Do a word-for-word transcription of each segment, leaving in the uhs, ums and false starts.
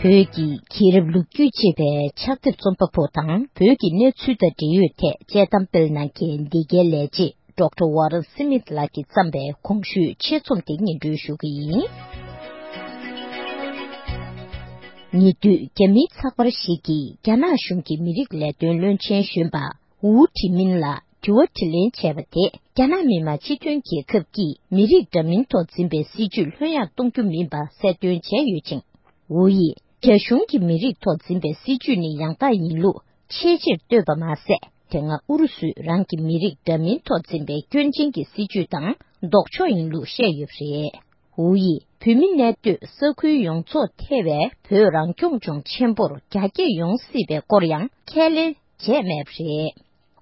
བོད་ཀྱི་རྒྱལ་རབས་ལོ་རྒྱུས་ཅེས་པའི་ཕྱག་དེབ་རྩོམ་པ་པོ་དང་བོད་ཀྱི་གནས་ཚུལ་དང་འབྲེལ་ཡོད་ཐད་དཔྱད་གཏམ་སྤེལ་གནང་མཁན་འདི་གའི་ལས་བྱེད་ཌོག་ཊར་ཝ་རན་སི་མིད་ལགས་ཀྱིས་བརྩམས་པའི་གོང་ཞུས་ཆེད་རྩོམ་དེ་སྙན་སྒྲོན་ཞུ་གི་ཡིན། ཉེ་དུས་རྒྱ་མིའི་ཚགས་པར་ཞིག་གིས་རྒྱ་ནག་གཞུང་གི་མི་རིགས་ལས་དོན་བློན་ཆེན་གཞོན་པ་ཝུའུ་ཁྲི་མིན་ལ་དྲི་བ་དྲིས་ལན་བྱས་པ་དེས་རྒྱ་ནག་མི་དམངས་སྤྱི་མཐུན་རྒྱལ་ཁབ་ཀྱིས་མི་རིགས་འདྲ་མིན་ཐོག་འཛིན་པའི་སྲིད་ཇུས་ལྷོད་ཡངས་གཏོང་རྒྱུ་མིན་པ་གསལ་སྟོན་བྱས་ཡོད་ཅིང་། ཝུའུ་ཡིས་རྒྱ་གཞུང་གིས་མི་རིགས་ཐོག་འཛིན་པའི་སྲིད་ཇུས་ནི་ཡང་དག་ཡིན་ལུགས་ཆེས་ཆེར་བསྟོད་པ་མ་ཟད། དེ་སྔ་ཨུ་རུ་སུས་རང་གི་མི་རིགས་འདྲ་མིན་ཐོག་འཛིན་པའི་སྐྱོན་ཅན་གྱི་སྲིད་ཇུས་དང་ལྡོག་ཕྱོགས་ཡིན་ལུགས་བཤད་ཡོད་པ་རེད། ཝུའུ་ཡིས་བོད་མི་གནས་སྡོད་ས་ཁུལ་ཡོངས་རྫོགས་ཐེ་བའི་བོད་རང་སྐྱོང་ལྗོངས་ཆེན་པོར་རྒྱ་སྐྱེད་ཡོང་སྲིད་པའི་སྐོར་ཡང་ཁས་ལེན་བྱས་མེད་པ་རེད།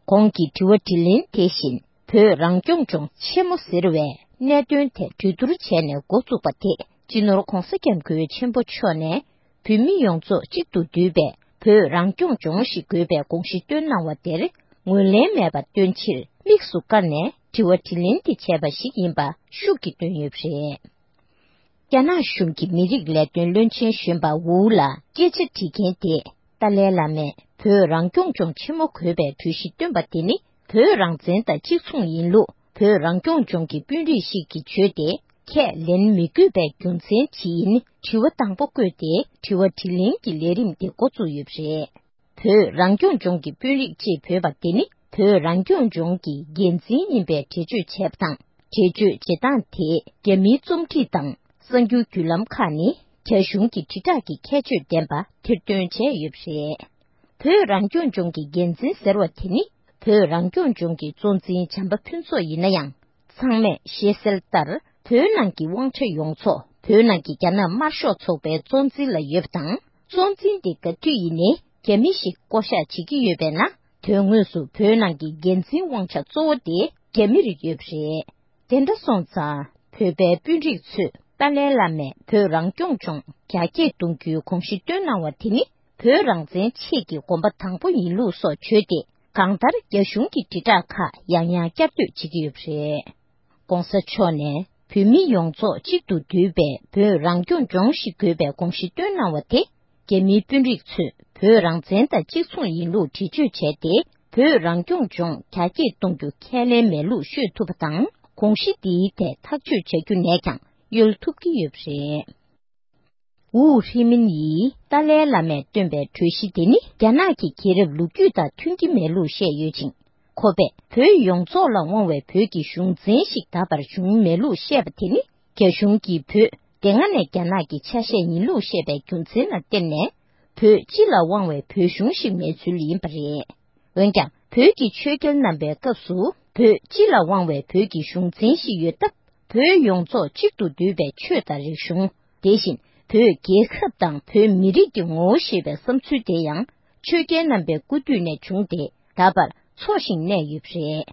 གོང་གི་དྲི་བ་དྲིས་ལན་དེ་བཞིན་བོད་རང་སྐྱོང་ལྗོངས་ཆེན་མོ་ཟེར་བའི་གནད་དོན་ཐད་གྲོས་བསྡུར་བྱས་ནས་འགོ་བཙུགས་པ་དེས་སྤྱི་ནོར་༧གོང་ས་༧སྐྱབས་མགོན་ཆེན་པོ་མཆོག་ནས་བོད་མི་ཡོངས་རྫོགས་གཅིག་ཏུ་འདུས་པའི་བོད་རང་སྐྱོང་ལྗོངས་ཤིག་དགོས་པའི་དགོངས་གཞི་བཏོན་གནང་བ་དེར་ངོས་ལེན་མེད་པ་སྟོན་ཕྱིར་དམིགས་སུ་བཀར་ནས་དྲི་བ་དྲིས་ལན་དེ་བྱས་པ་ཞིག་ཡིན་པ་ཤུགས་ཀྱིས་བཏོན་ཡོད་པ་རེད། རྒྱ་ནག་གཞུང་གི་མི་རིགས་ལས་དོན་བློན་ཆེན་གཞོན་པ་ཝུའུ་ལ་སྐད་ཆ་དྲིས་མཁན་དེས་ཏཱ་ལའི་བླ་མས་བོད་རང་སྐྱོང་ལྗོངས་ཆེན་མོ་དགོས་པའི་གྲོས་གཞི་བཏོན་པ་དེ་ནི་བོད་རང་བཙན་དང་གཅིག་མཚུངས་ཡིན་ལུགས་བོད་རང་སྐྱོང་ལྗོངས་ཀྱི་དཔོན་རིགས་ཤིག་གིས་བརྗོད་དེ་ཁས་ལེན་མི་དགོས་པའི་རྒྱུ་མཚན་ཇི་ཡིན་དྲི་བ་དང་པོ་བཀོད་དེ་དྲི་བ་དྲིས་ལན་གྱི་ལས་རིམ་དེ་འགོ་བཙུགས་ཡོད་པ་རེད། བོད་རང་སྐྱོང་ལྗོངས་ཀྱི་དཔོན་རིགས་ཅེས་འབོད་པ་དེ་ནི་བོད་རང་སྐྱོང་ལྗོངས་ཀྱི་འགན་འཛིན་ཡིན་པའི་འགྲེལ་བརྗོད་བྱས་པ་དང་། འགྲེལ་བརྗོད་བྱེད་སྟངས་དེ་རྒྱ་མིའི་རྩོམ་སྒྲིག་དང་གསར་འགྱུར་བརྒྱུད་ལམ་ཁག་ནས་རྒྱ་གཞུང་གི་དྲིལ་བསྒྲགས་ཀྱི་ཁྱད་ཆོས་ལྡན་པ་ཐེར་འདོན་བྱས་ཡོད་པ་རེད། བོད་རང་སྐྱོང་ལྗོངས་ཀྱི་འགན་འཛིན་ཟེར་བ་དེ་ནི་བོད་རང་སྐྱོང་ལྗོངས་ཀྱི་གཙོ་འཛིན་བྱམས་པ་ཕུན་ཚོགས་ཡིན་ན་ཡང་། ཚང་མས་ཤེས་གསལ་ལྟར་བོད་ནང་གི་དབང་ཆ་ཡོངས་རྫོགས་བོད་ནང་གི་རྒྱ་ནག་དམར་ཤོག་ཚོགས་པའི་གཙོ་འཛིན་ལ་ཡོད་པ་དང་། གཙོ་འཛིན་དེ་ག་དུས་ཡིན་ནའི་རྒྱ་མི་ཞིག་བསྐོ་གཞག་བྱེད་ཀྱི་ཡོད་པས་ན། དོན་དངོས་སུ་བོད་ནང་གི་འགན་འཛིན་དབང་ཆ་གཙོ་བོ་དེ་རྒྱ་མི་རིགས་ཡོད་པ་རེད། དེ་འདྲ་སོང་ཙང་བོད་པའི་དཔོན་རིགས་ཚོས་ཏཱ་ལའི་བླ་མས་བོད་རང་སྐྱོང་ལྗོངས་རྒྱ་སྐྱེད་གཏོང་རྒྱུའི་དགོངས་གཞི་བཏོན་གནང་བ་དེ་ནི་བོད་རང་བཙན་ཆེད་ཀྱི་གོམ་པ་དང་པོ་ཡིན་ལུགས་སོགས་བརྗོད་དེ། གང་ལྟར་རྒྱ་གཞུང་གི་དྲིལ་བསྒྲགས་ཁག་ཡང་ཡང་བསྐྱར་ཟློས་བྱེད་ཀྱི་ཡོད་པ་རེད། ྋགོང་ས་མཆོག་ནས་བོད་མི་ཡོངས་རྫོགས་གཅིག་ཏུ་འདུས་པའི་བོད་རང་སྐྱོང་ལྗོངས་ཤིག་དགོས་པའི་དགོངས་གཞི་བཏོན་གནང་བ་དེ། རྒྱ་མིའི་དཔོན་རིགས་ཚོས་བོད་རང་བཙན་དང་གཅིག་མཚུངས་ཡིན་ལུགས་འགྲེལ་བརྗོད་བྱས་ཏེ། བོད་རང་སྐྱོང་ལྗོངས་རྒྱ་སྐྱེད་གཏོང་རྒྱུ་ཁས་ལེན་མེད་ལུགས་ཤོད་ཐུབ་པ་དང་། དགོངས་གཞི་འདིའི་ཐད་ཐག་གཅོད་བྱ་རྒྱུ་ནས་ཀྱང་གཡོལ་ཐུབ་ཀྱི་ཡོད་པ་རེད། ཝུའུ་ཧྲི་མིན་ཡིས་ཏཱ་ལའི་བླ་མས་བཏོན་པའི་གྲོས་གཞི་དེ་ནི་རྒྱ་ནག་གི་རྒྱལ་རབས་ལོ་རྒྱུས་དང་མཐུན་གྱི་མེད་ལུགས་བཤད་ཡོད་ཅིང་། ཁོ་པས་བོད་ཡོངས་རྫོགས་ལ་དབང་བའི་བོད་ཀྱི་གཞུང་འཛིན་ཞིག་ད་བར་བྱུང་མེད་ལུགས་བཤད་པ་དེ་ནི་རྒྱ་གཞུང་གིས་བོད་དེ་སྔ་ནས་རྒྱ་ནག་གི་ཆ་ཤས་ཡིན་ལུགས་བཤད་པའི་རྒྱུ་མཚན་ལ་བརྟེན་ནས་བོད་སྤྱི་ལ་དབང་བའི་བོད་གཞུང་ཞིག་མེད་ཚུལ་ཡིན་པ་རེད། འོན་ཀྱང་བོད་ཀྱི་ཆོས་རྒྱལ་རྣམ་པའི་སྐབས་སུ་བོད་སྤྱི་ལ་དབང་བའི་བོད་ཀྱི་གཞུང་འཛིན་ཞིག་ཡོད་སྟབས། བོད་ཡོངས་རྫོགས་གཅིག་ཏུ་འདུས་པའི་ཆོས་དང་རིག་གཞུང་། དེ་བཞིན་བོད་རྒྱལ་ཁབ་དང་བོད་མི་རིགས་ཀྱི་ངོ་བོ་ཞེས་པའི་བསམ་ཚུལ་དེ་ཡང་ཆོས་རྒྱལ་རྣམ་པའི་སྐུ་དུས་ནས་བྱུང་སྟེ། ད་བར་འཚོ་ཞིང་གནས་ཡོད་པ་རེད།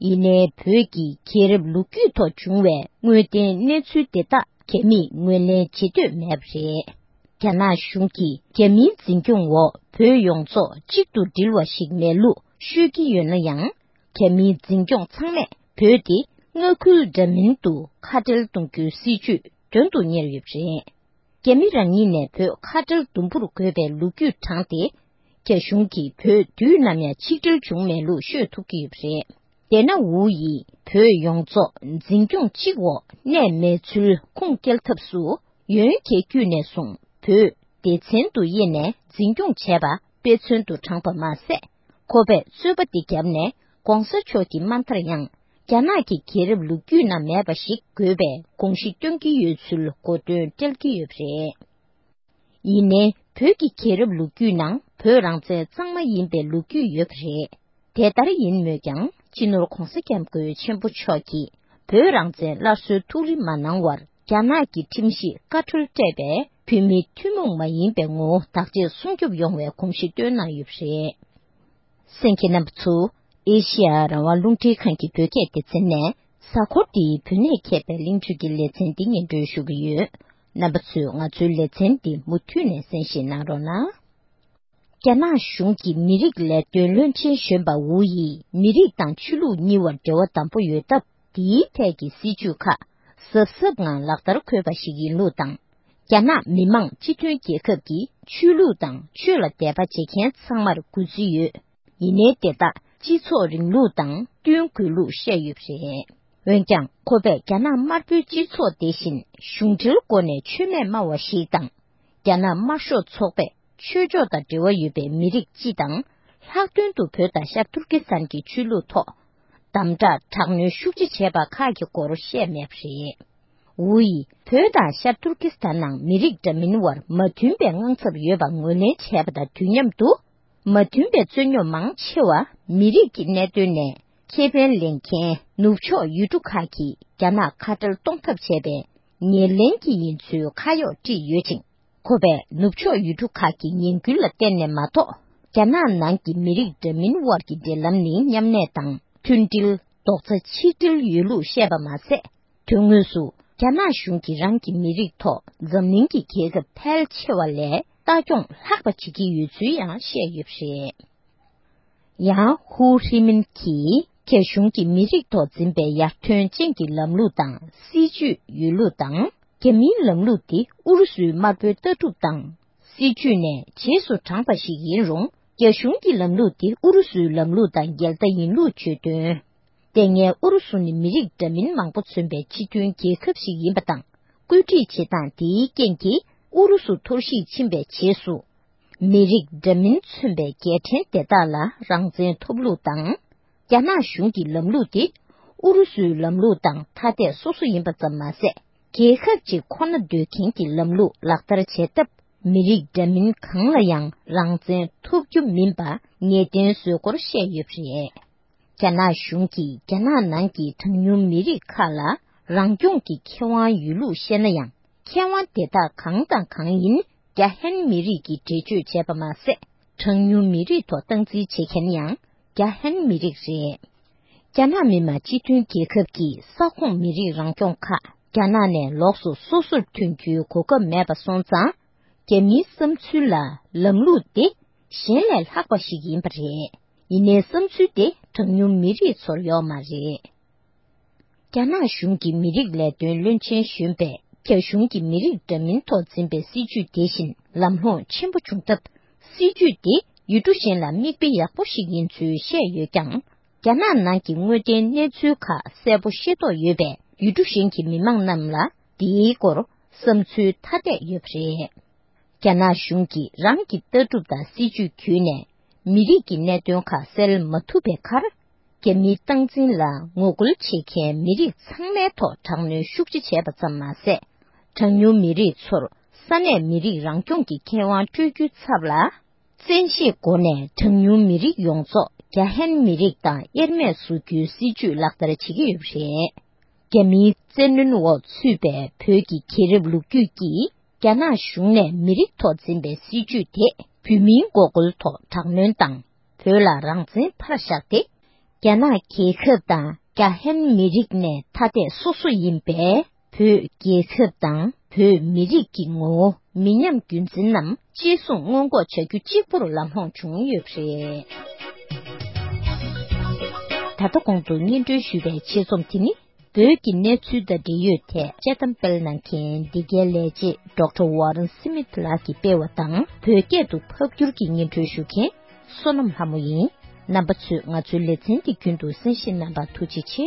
ཡིན་ནའི་བོད་ཀྱི་རྒྱལ་རབས་ལོ་རྒྱུས་ཐོག་བྱུང་བའི་དངོས་བདེན་གནས་ཚུལ་དེ་དག་རྒྱ་མིས་ངོས་ལེན་བྱེད་འདོད་མེད་པ་རེད། རྒྱ་ནག་གཞུང་གིས་རྒྱ་མིའི་འཛིན་སྐྱོང་འོག་བོད་ཡོངས་རྫོགས་གཅིག་ཏུ་སྒྲིལ་བ་ཞིག་མེད་ལུགས་ཤོད་ཀྱི་ཡོད་ན་ཡང་། རྒྱ་མིའི་འཛིན་སྐྱོང་ཚང་མས་བོད་དེ་མངའ་ཁུལ་འདྲ་མིན་དུ་ཁ་བྲལ་གཏོང་རྒྱུའི་སྲིད་ཇུས་དོན་དུ་གཉེར་ཡོད་པ་རེད། རྒྱ་མི་རང་ཉིད་ནས་བོད་ཁ་བྲལ་དུམ་བུར་དགོས་པའི་ལོ་རྒྱུས་དྲངས་ཏེ། རྒྱ་གཞུང་གིས་བོད་དུས་ནམ་ཡང་ཆིག་སྒྲིལ་བྱུང་མེད་ལུགས་ཤོད་ཐུབ་ཀྱི་ཡོད་པ་རེད། དེས་ན་ཝུའུ་ཡིས་བོད་ཡོངས་རྫོགས་འཛིན་སྐྱོང་གཅིག་འོག་གནས་མེད་ཚུལ་ཁུངས་སྐྱེལ་ཐབས་སུ། ཡོན་གྱི་དཀྱུས་ནས་བཟུང་བོད་སྡེ་ཚན་དུ་དབྱེ་ནས་འཛིན་སྐྱོང་བྱས་པ་དཔེ་མཚོན་དུ་དྲངས་པ་མ་ཟད། ཁོ་པས་རྩོད་པ་འདི་བརྒྱབ་ནས་ྋགོང་ས་མཆོག་གི་དམའ་མཐར་ཡང་རྒྱ་ནག་གི་རྒྱལ་རབས་ལོ་རྒྱུས་ན་མེད་པ་ཞིག་དགོས་པའི་དགོངས་གཞི་བཏོན་གྱི་ཡོད་ཚུལ་གོ་སྟོན་སྤྲད་ཀྱི་ཡོད་པ་རེད། ཡིན་ནའི་བོད་ཀྱི་རྒྱལ་རབས་ལོ་རྒྱུས་ནང་བོད་རང་བཙན་གཙང་མ་ཡིན་པའི་ལོ་རྒྱུས་ཡོད་པ་རེད། དེ་ལྟར་ཡིན་མོད་ཀྱང་སྤྱི་ནོར་ྋགོང་ས་ྋསྐྱབས་མགོན་ཆེན་པོ་མཆོག་གིས་བོད་རང་བཙན་སླར་གསོའི་ཐུགས་རེ་མ་གནང་བར་རྒྱ་ནག་གི་ཁྲིམས་གཞིས་བཀའ་འཁྲོལ་སྤྲད་པའི་བོད་མིའི་ཐུན་མོང་མ་ཡིན་པའི་ངོ་བོ་བདག་གཅེས་སྲུང་སྐྱོབ་ཡོང་བའི་དགོངས་གཞི་བཏོན་གནང་ཡོད་པ་རེད། གསན་མཁན་རྣམ་པ་ཚོ། ཨེ་ཤེ་ཡ་རང་དབང་རླུང་འཕྲིན་ཁང་གི་བོད་སྐད་སྡེ་ཚན་ནས་གཟའ་འཁོར་འདིའི་བོད་གནས་མཁས་པའི་གླེང་བརྗོད་ཀྱི་ལེ་ཚན་འདི་སྙན་སྒྲོན་ཞུ་གི་ཡོད། རྣམ་པ་ཚོས་ང་ཚོའི་ལེ་ཚན་འདི་མུ་མཐུད་ནས་གསན་བཞེས་གནང་རོགས་གནང་། རྒྱ་ནག་གཞུང་གི་མི་རིགས་ལས་དོན་བློན་ཆེན་གཞོན་པ་ཝུའུ་ཡིས་མི་རིགས་དང་ཆོས་ལུགས་གཉིས་བར་འབྲེལ་བ་དམ་པོ་ཡོད་སྟབས། འདིའི་ཐད་ཀྱི་སྲིད་ཇུས་ཁག་གཟབ་གཟབ་ངང་ལག་བསྟར་དགོས་པ་ཞིག་ཡིན་ལུགས་དང་། རྒྱ་ནག་མི་དམངས་སྤྱི་མཐུན་རྒྱལ་ཁབ་ཀྱི་ཆོས་ལུགས་དང་ཆོས་ལ་དད་པ་བྱེད་མཁན་ཚང་མར་གུས་བརྩི་ཡོད། ཡིན་ནའི་དེ་དག་སྤྱི་ཚོགས་རིང་ལུགས་དང་བསྟུན་དགོས་ལུགས་བཤད་ཡོད་པ་རེད། འོན་ཀྱང་ཁོ་པས་རྒྱ་ནག་དམར་པོའི་སྤྱི་ཚོགས་དེ་བཞིན་གཞུང་འབྲེལ་སྒོ་ནས་ཆོས་མེད་སྨྲ་བ་ཞིག་དང་། རྒྱ་ནག་དམར་ཤོག་ཚོགས་པས་ཆོས་ཕྱོགས་དང་འབྲེལ་བ་ཡོད་པའི་མི་རིགས་སྤྱི་དང་། ལྷག་དོན་དུ་བོད་དང་ཤར་ཏུར་ཀི་སི་ཐན་གྱི་ཆོས་ལུགས་ཐོག་དམ་དྲག་དྲག་གནོན་ཤུགས་ཆེ་བྱས་པ་ཁག་གི་སྐོར་བཤད་མེད་པ་རེད། ཝུའུ་ཡིས་བོད་དང་ཤར་ཏུར་ཀི་སི་ཐན་ནང་མི་རིགས་འདྲ་མིན་དབར་མ་མཐུན་པའི་དངངས་འཚབ་ཡོད་པ་ངོས་ལེན་བྱས་པ་དང་དུས་མཉམ་དུ། མ་མཐུན་པའི་རྩོད་རྙོག་མང་ཆེ་བ་མི་རིགས་ཀྱི་གནད་དོན་ནས་ཁེ་ཕན་ལེན་མཁན་ནུབ་ཕྱོགས་ཡུལ་གྲུ་ཁག་གིས་རྒྱ་ནག་ཁ་བྲལ་གཏོང་ཐབས་བྱས་པའི་ཉེར་ལེན་གྱི་ཡིན་ཚུལ་ཁ་གཡོག་བཀྲིས་ཡོད་ཅིང་། ཁོ་པས་ནུབ་ཕྱོགས་ཡུལ་གྲུ་ཁག་གི་ཉེས་འགུལ་ལ་བརྟེན་ནས་མ་གཏོགས། རྒྱ་ནག་ནང་གི་མི་རིགས་འདྲ་མིན་དབར་གྱི་འབྲེལ་ལམ་ནི་མཉམ་གནས་དང་མཐུན་སྒྲིལ། རྡོག་རྩ་ཆིག་སྒྲིལ་ཡོད་ལུགས་བཤད་པ་མ་ཟད། དོན་དངོས་སུ་རྒྱ་ནག་གཞུང་གིས་རང་གི་མི་རིགས་ཐོག་འཛམ་གླིང་གི་རྒྱལ་ཁབ་ཕལ་ཆེ་བ་ལས་ལྟ་སྐྱོང་ལྷག་པ་བྱེད་ཀྱི་ཡོད་ཚུལ་ཡང་བཤད་ཡོད་པ་རེད། ཡང་ཧུའུ་ཧྲི་མིན་གྱིས་རྒྱ་གཞུང་གིས་མི་རིགས་ཐོག་འཛིན་པའི་ཡར་ཐོན་ཅན་གྱི་ལམ་ལུགས་དང་སྲིད་ཇུས་ཡོད་ལུགས་དང་། རྒྱ་མིའི་ལམ་ལུགས་དེ་ཨུ་རུ་སུའི་དམར་པོའི་ལྟ་གྲུབ་དང་། སྲིད་ཇུས་ནས་རྗེས་སུ་འབྲངས་པ་ཞིག་ཡིན་རུང་། རྒྱ་གཞུང་གི་ལམ་ལུགས་དེ་ཨུ་རུ་སུའི་ལམ་ལུགས་དང་འགལ་ཟླ་ཡིན་ལུགས་བརྗོད་དོན། དེ་སྔའི་ཨུ་རུ་སུ་ནི་མི་རིགས་འདྲ་མིན་མང་པོ་མཚོན་པའི་སྤྱི་མཐུན་རྒྱལ་ཁབ་ཞིག་ཡིན་པ་དང་། བཀོད་སྒྲིག་བྱེད་སྟངས་དེའི་རྐྱེན་གྱིས་ཨུ་རུ་སུ་འཐོར་ཞིག་ཕྱིན་པའི་རྗེས་སུ། མི་རིགས་འདྲ་མིན་མཚོན་པའི་རྒྱལ་ཕྲན་དེ་དག་ལ་རང་བཙན་ཐོབ་ལུགས་དང་། རྒྱ་ནག་གཞུང་གི་ལམ་ལུགས་དེ་ཨུ་རུ་སུའི་ལམ་ལུགས་དང་ཐ་དད་སོ་སོ་ཡིན་པ་ཙམ་མ་ཟད། རྒྱལ་ཁབ་ཅིག་ཁོ་ན་སྡོད་མཁན་གྱི་ལམ་ལུགས་ལག་བསྟར་བྱེད་སྟབས། མི་རིགས་འདྲ་མིན་གང་ལ་ཡང་རང་བཙན་ཐོབ་རྒྱུ་མིན་པ་ངེས་གཏན་བཟོས་སྐོར་བཤད་ཡོད་པ་རེད། རྒྱ་ནག་གཞུང་གིས་རྒྱ་ནག་ནང་གི་གྲངས་ཉུང་མི་རིགས་ཁག་ལ་རང་སྐྱོང་གི་ཁེ་དབང་ཡོད་ལུགས་བཤད་ན་ཡང་། ཁེ་དབང་དེ་དག་གང་དང་གང་ཡིན་རྒྱ་ཧན་མི་རིགས་ཀྱིས་འགྲེལ་བརྗོད་བྱས་པ་མ་ཟད། གྲངས་ཉུང་མི་རིགས་ཐོག་སྟངས་འཛིན་བྱེད་མཁན་ཡང་རྒྱ་ཧན་མི་རིགས་རེད། རྒྱ་ནག་མི་དམངས་སྤྱི་མཐུན་རྒྱལ་ཁབ་ཀྱི་ས་ཁོངས་མི་རིགས་རང་སྐྱོང་ཁག་རྒྱ་ནག་ནས་ལོགས་སུ་སོ་སོར་ཐོན་རྒྱུའི་གོ་སྐབས་མེད་པ་སོང་ཙང་། རྒྱ་མིའི་བསམ་ཚུལ་ལ་ལམ་ལུགས་དེ་གཞན་ལས་ལྷག་པ་ཞིག་ཡིན་པ་རེད། ཡིན་ནའི་བསམ་ཚུལ་དེ་གྲངས་ཉུང་མི་རིགས་ཚོར་ཡོད་མ་རེད། རྒྱ་ནག་གཞུང་གི་མི་རིགས་ལས་དོན་བློན་ཆེན་གཞོན་པས་རྒྱ་གཞུང་གིས་མི་རིགས་འདྲ་མིན་ཐོག་འཛིན་པའི་སྲིད་ཇུས་དེ་བཞིན་ལམ་ལྷོང་ཆེན་པོ་བྱུང་སྟབས། སྲིད་ཇུས་དེ་ཡུལ་གྲུ་གཞན་ལ་མིག་དཔེ་ཡག་པོ་ཞིག་ཡིན་ཚུལ་བཤད་ཡོད་ཀྱང་། རྒྱ་ནག་ནང་གི་དངོས་བདེན་གནས་ཚུལ་ཁག་གསལ་པོ་ཤེས་རྟོགས་ཡོད་པའི་ཡུལ་གྲུ་གཞན་གྱི་མི་མང་རྣམས་ལ་འདིའི་སྐོར་བསམ་ཚུལ་ཐ་དད་ཡོད་པ་རེད། རྒྱ་ནག་གཞུང་གིས་རང་གི་ལྟ་གྲུབ་དང་སྲིད་ཇུས་བརྒྱུད་ནས་མི་རིགས་ཀྱི་གནད་དོན་ཁག་སེལ་མ་ཐུབ་པའི་ཁར། རྒྱ་མིའི་སྟངས་འཛིན་ལ་ངོ་རྒོལ་བྱེད་མཁན་མི་རིགས་ཚང་མའི་ཐོག་དྲག་གནོན་ཤུགས་ཆེ་བྱས་པ་ཙམ་མ་ཟད། གྲངས་ཉུང་མི་རིགས་ཚོར་ས་གནས་མི་རིགས་རང་སྐྱོང་གི་ཁེ་དབང་སྤྲོད་རྒྱུའི་ཚབ་ལ། བཙན་ཤེད་སྒོ་ནས་གྲངས་ཉུང་མི་རིགས་ཡོངས་རྫོགས་རྒྱ་ཧན་མི་རིགས་དང་དབྱེར་མེད་བཟོ་རྒྱུའི་སྲིད་ཇུས་ལག་བསྟར་བྱེད་ཀྱི་ཡོད་པ་རེད། རྒྱ་མིའི་བཙན་གནོན་འོག་ཚུད་པའི་བོད་ཀྱི་རྒྱལ་རབས་ལོ་རྒྱུས་ཀྱིས། རྒྱ་ནག་གཞུང་ནས་མི་རིགས་ཐོག་འཛིན་པའི་སྲིད་ཇུས་དེ་བོད་མིའི་འགོག་རྒོལ་ཐོག་དྲག་གནོན་དང་། བོད་ལ་རང་བཙན་ཕར་བཞག་སྟེ། རྒྱ་ནག་རྒྱལ་ཁབ་དང་རྒྱ་ཧན་མི་རིགས་ནས་ཐ་དད་སོ་སོ་ཡིན་པའི་བོད་རྒྱལ་ཁབ་དང་བོད་མི་རིགས་ཀྱི་ངོ་བོ་མི་ཉམས་རྒྱུན་འཛིན་ནམ་གཅེས་སྲུང་སྔོན་འགོག་བྱ་རྒྱུ་གཅིག་པུར་ལམ་ལྷོང་བྱུང་ཡོད་པ་རེད། ད་ལྟ་གོང་དུ་སྙན་སྒྲོན་ཞུས་པའི་ཆེད་རྩོམ་དེ་ནི། བོད་ཀྱི་གནས་ཚུལ་དང་འབྲེལ་ཡོད་ཐད་དཔྱད་གཏམ་སྤེལ་གནང་མཁན་འདི་གའི་ལས་བྱེད་ཌོག་ཊར་ཝ་རན་སི་མིཐ་ལགས་ཀྱིས་སྤེལ་བ་དང་། བོད་སྐད་དུ་ཕབ་བསྒྱུར་གྱིས་སྙན་སྒྲོན་ཞུ་མཁན་བསོད་ནམས་ལྷ་མོ་ཡིན། རྣམ་པ་ཚོས་ང་ཚོའི་ལེ་ཚན་འདི་རྒྱུན་དུ་གསན་བཞེས་གནང་བར་ཐུགས་རྗེ་ཆེ།